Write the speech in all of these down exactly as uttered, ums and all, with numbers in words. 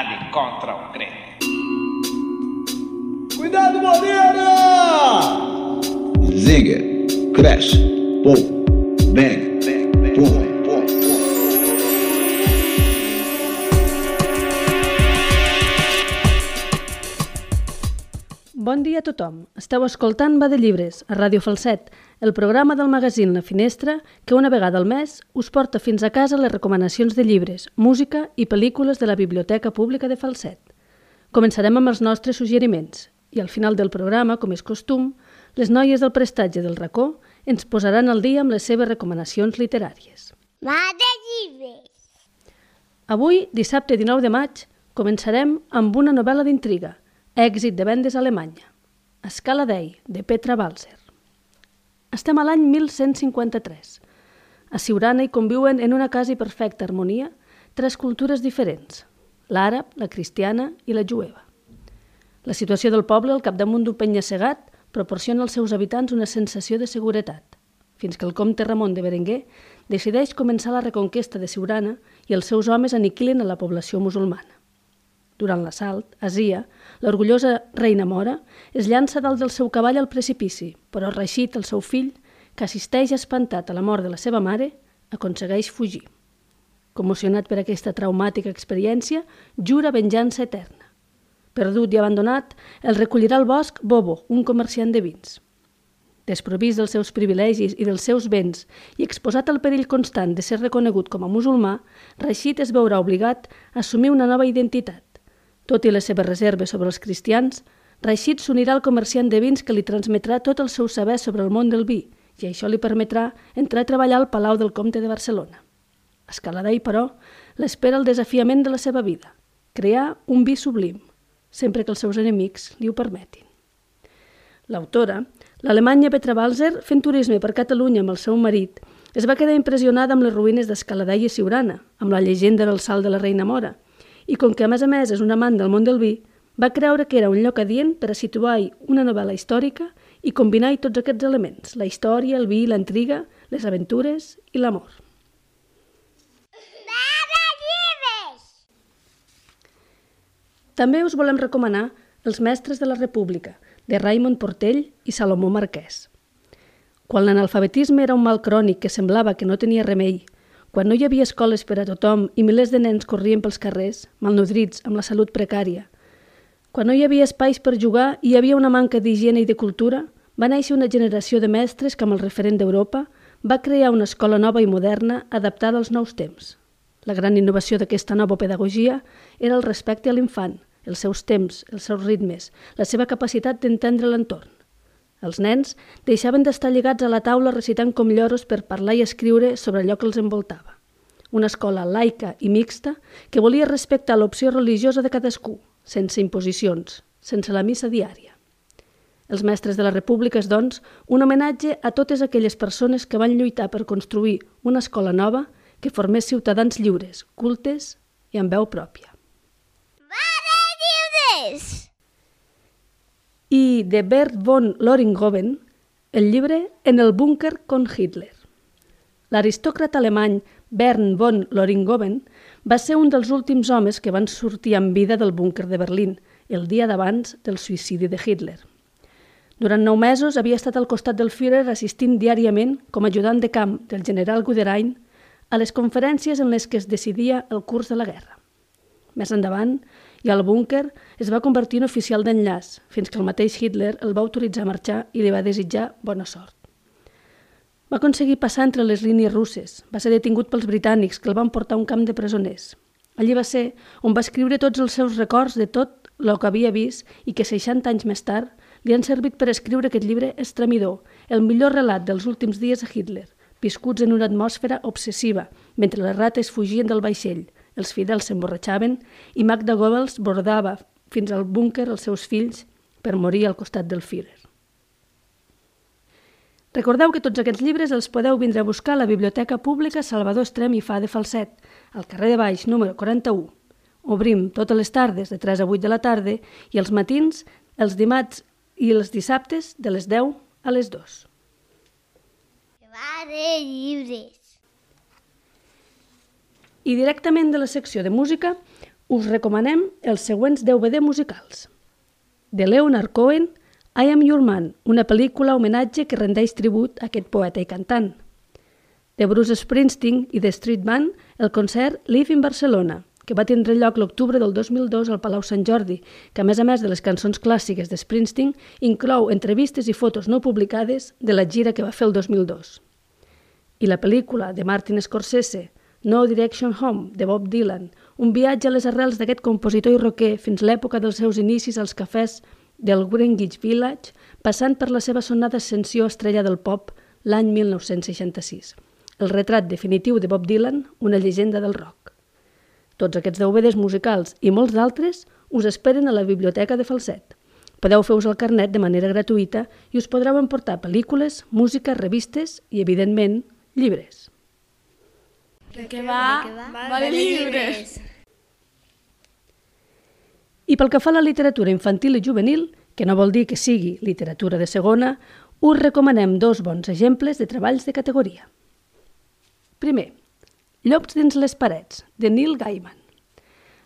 nave contra Ucrânia. Cuidado, Moreira! Zinger, crash, pum, bang, pum, pum. Bon dia a tothom. Esteu escoltant Va de Llibres, a Ràdio Falset, el programa del magazín La Finestra que una vegada al mes us porta fins a casa les recomanacions de llibres, música i pel·lícules de la Biblioteca Pública de Falset. Començarem amb els nostres suggeriments i al final del programa, com és costum, les noies del prestatge del racó ens posaran al dia amb les seves recomanacions literàries. Va de Llibres! Avui, dissabte dinou de maig, començarem amb una novel·la d'intriga, èxit de vendes a Alemanya, Escala d'Ei, de Petra Balzer. Estem a l'any mil cent cinquanta-tres. A Siurana hi conviuen en una quasi perfecta harmonia tres cultures diferents, l'àrab, la cristiana i la jueva. La situació del poble al capdamunt d'un penya-segat proporciona als seus habitants una sensació de seguretat, fins que el comte Ramon de Berenguer decideix començar la reconquesta de Siurana i els seus homes aniquilen a la població musulmana. Durant l'assalt, Asia, l'orgullosa reina mora, es llança dalt del seu cavall al precipici, però Rashid, el seu fill, que assisteix espantat a la mort de la seva mare, aconsegueix fugir. Commocionat per aquesta traumàtica experiència, jura venjança eterna. Perdut i abandonat, el recollirà al bosc Bobo, un comerciant de vins. Desprovist dels seus privilegis i dels seus béns i exposat al perill constant de ser reconegut com a musulmà, Rashid es veurà obligat a assumir una nova identitat. Tot i les seves reserves sobre els cristians, Rashid s'unirà al comerciant de vins que li transmetrà tot el seu saber sobre el món del vi i això li permetrà entrar a treballar al Palau del Comte de Barcelona. Escala d'Ei, però, l'espera el desafiament de la seva vida, crear un vi sublim, sempre que els seus enemics li ho permetin. L'autora, l'alemanya Petra Balzer, fent turisme per Catalunya amb el seu marit, es va quedar impressionada amb les ruïnes d'Escala d'Ei i Siurana, amb la llegenda del salt de la reina mora, i com que a més a més és un amant del món del vi, va creure que era un lloc adient per a situar-hi una novel·la històrica i combinar-hi tots aquests elements, la història, el vi, la intriga, les aventures i l'amor. Va de Llibres! També us volem recomanar Els mestres de la República, de Raimon Portell i Salomó Marquès. Quan l'analfabetisme era un mal crònic que semblava que no tenia remei, quan no hi havia escoles per a tothom i milers de nens corrien pels carrers, malnodrits, amb la salut precària, quan no hi havia espais per jugar i hi havia una manca d'higiene i de cultura, va néixer una generació de mestres que, amb el referent d'Europa, va crear una escola nova i moderna adaptada als nous temps. La gran innovació d'aquesta nova pedagogia era el respecte a l'infant, els seus temps, els seus ritmes, la seva capacitat d'entendre l'entorn. Els nens deixaven d'estar lligats a la taula recitant com lloros per parlar i escriure sobre allò que els envoltava. Una escola laica i mixta que volia respectar l'opció religiosa de cadascú, sense imposicions, sense la missa diària. Els mestres de la República és, doncs, un homenatge a totes aquelles persones que van lluitar per construir una escola nova que formés ciutadans lliures, cultes i amb veu pròpia. Va de Llibres! I de Bert von Loringhoven, el llibre En el búnquer con Hitler. L'aristòcrata alemany Bern von Loringhoven va ser un dels últims homes que van sortir amb vida del búnquer de Berlín, el dia d'abans del suïcidi de Hitler. Durant nou mesos havia estat al costat del Führer assistint diàriament, com a ajudant de camp del general Guderian, a les conferències en les que es decidia el curs de la guerra. Més endavant, i al búnquer es va convertir en oficial d'enllaç, fins que el mateix Hitler el va autoritzar a marxar i li va desitjar bona sort. Va aconseguir passar entre les línies russes, va ser detingut pels britànics que el van portar a un camp de presoners. Allí va ser on va escriure tots els seus records de tot el que havia vist i que seixanta anys més tard li han servit per escriure aquest llibre estremidor, el millor relat dels últims dies de Hitler, viscuts en una atmosfera obsessiva, mentre les rates fugien del vaixell, els fidels s'emborratxaven i Magda Goebbels bordava fins al búnquer els seus fills per morir al costat del Führer. Recordeu que tots aquests llibres els podeu vindre a buscar a la Biblioteca Pública Salvador Estrem i Fa de Falset, al carrer de Baix, número quaranta-u. Obrim totes les tardes de tres a vuit de la tarda i els matins, els dimarts i els dissabtes de les deu a les dues. Va de Llibres! I directament de la secció de música us recomanem els següents D V D musicals. De Leonard Cohen, I Am Your Man, una pel·lícula homenatge que rendeix tribut a aquest poeta i cantant. De Bruce Springsteen i The Street Band, el concert Live in Barcelona, que va tindre lloc l'octubre del dos mil dos al Palau Sant Jordi, que a més a més de les cançons clàssiques de Springsteen, inclou entrevistes i fotos no publicades de la gira que va fer el dos mil dos. I la pel·lícula de Martin Scorsese, No Direction Home, de Bob Dylan, un viatge a les arrels d'aquest compositor i rocker fins l'època dels seus inicis als cafès del Greenwich Village, passant per la seva sonada ascensió estrella del pop l'any mil nou-cents seixanta-sis. El retrat definitiu de Bob Dylan, una llegenda del rock. Tots aquests D V Ds musicals i molts d'altres us esperen a la biblioteca de Falset. Podeu fer-vos el carnet de manera gratuïta i us podreu emportar pel·lícules, música, revistes i, evidentment, llibres. De què va? Va de llibres! I pel que fa a la literatura infantil i juvenil, que no vol dir que sigui literatura de segona, us recomanem dos bons exemples de treballs de categoria. Primer, Llops dins les parets, de Neil Gaiman.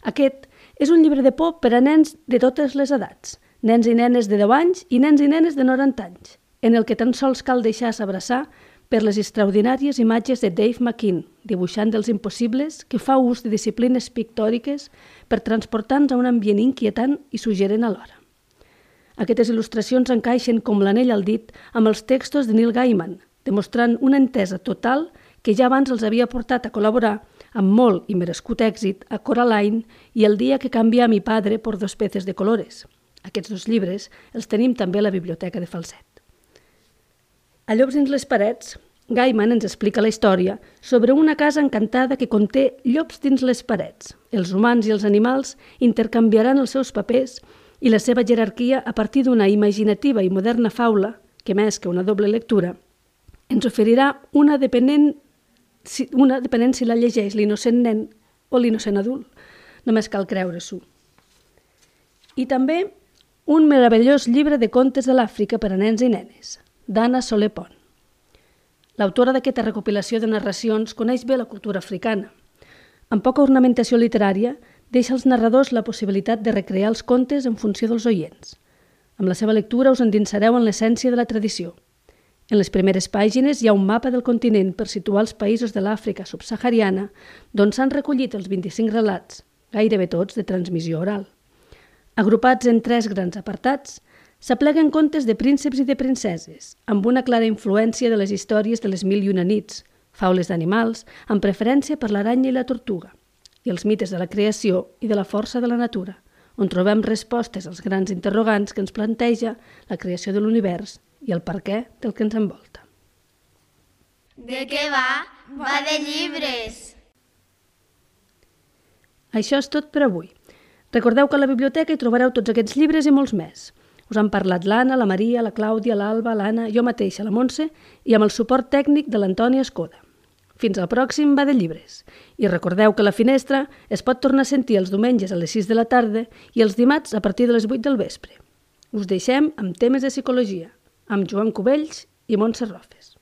Aquest és un llibre de por per a nens de totes les edats, nens i nenes de deu anys i nens i nenes de noranta anys, en el que tan sols cal deixar-se abraçar per les extraordinàries imatges de Dave McKean, dibuixant dels impossibles, que fa ús de disciplines pictòriques per transportar-nos a un ambient inquietant i suggerent alhora. Aquestes il·lustracions encaixen com l'anell al dit amb els textos de Neil Gaiman, demostrant una entesa total que ja abans els havia portat a col·laborar amb molt i merescut èxit a Coraline i El dia que canvié a mi padre por dos peces de colores. Aquests dos llibres els tenim també a la biblioteca de Falset. A Llops dins les parets, Gaiman ens explica la història sobre una casa encantada que conté llops dins les parets. Els humans i els animals intercanviaran els seus papers i la seva jerarquia a partir d'una imaginativa i moderna faula, que més que una doble lectura, ens oferirà una depenent, una depenent si la llegeix l'innocent nen o l'innocent adult. Només cal creure-s'ho. I també un meravellós llibre de contes de l'Àfrica per a nens i nenes, d'Anna Soler Pont. L'autora d'aquesta recopilació de narracions coneix bé la cultura africana. Amb poca ornamentació literària, deixa als narradors la possibilitat de recrear els contes en funció dels oients. Amb la seva lectura us endinsareu en l'essència de la tradició. En les primeres pàgines hi ha un mapa del continent per situar els països de l'Àfrica subsahariana, d'on s'han recollit els vint-i-cinc relats, gairebé tots de transmissió oral. Agrupats en tres grans apartats, s'apleguen contes de prínceps i de princeses, amb una clara influència de les històries de les mil i una nits, faules d'animals, amb preferència per l'aranya i la tortuga, i els mites de la creació i de la força de la natura, on trobem respostes als grans interrogants que ens planteja la creació de l'univers i el perquè del que ens envolta. De què va? Va de llibres! Això és tot per avui. Recordeu que a la biblioteca hi trobareu tots aquests llibres i molts més. Us han parlat l'Anna, la Maria, la Clàudia, l'Alba, l'Anna, jo mateixa, la Montse, i amb el suport tècnic de l'Antoni Escoda. Fins al pròxim Va de llibres. I recordeu que La Finestra es pot tornar a sentir els diumenges a les sis de la tarda i els dimarts a partir de les vuit del vespre. Us deixem amb temes de psicologia, amb Joan Cubells i Montse Rofes.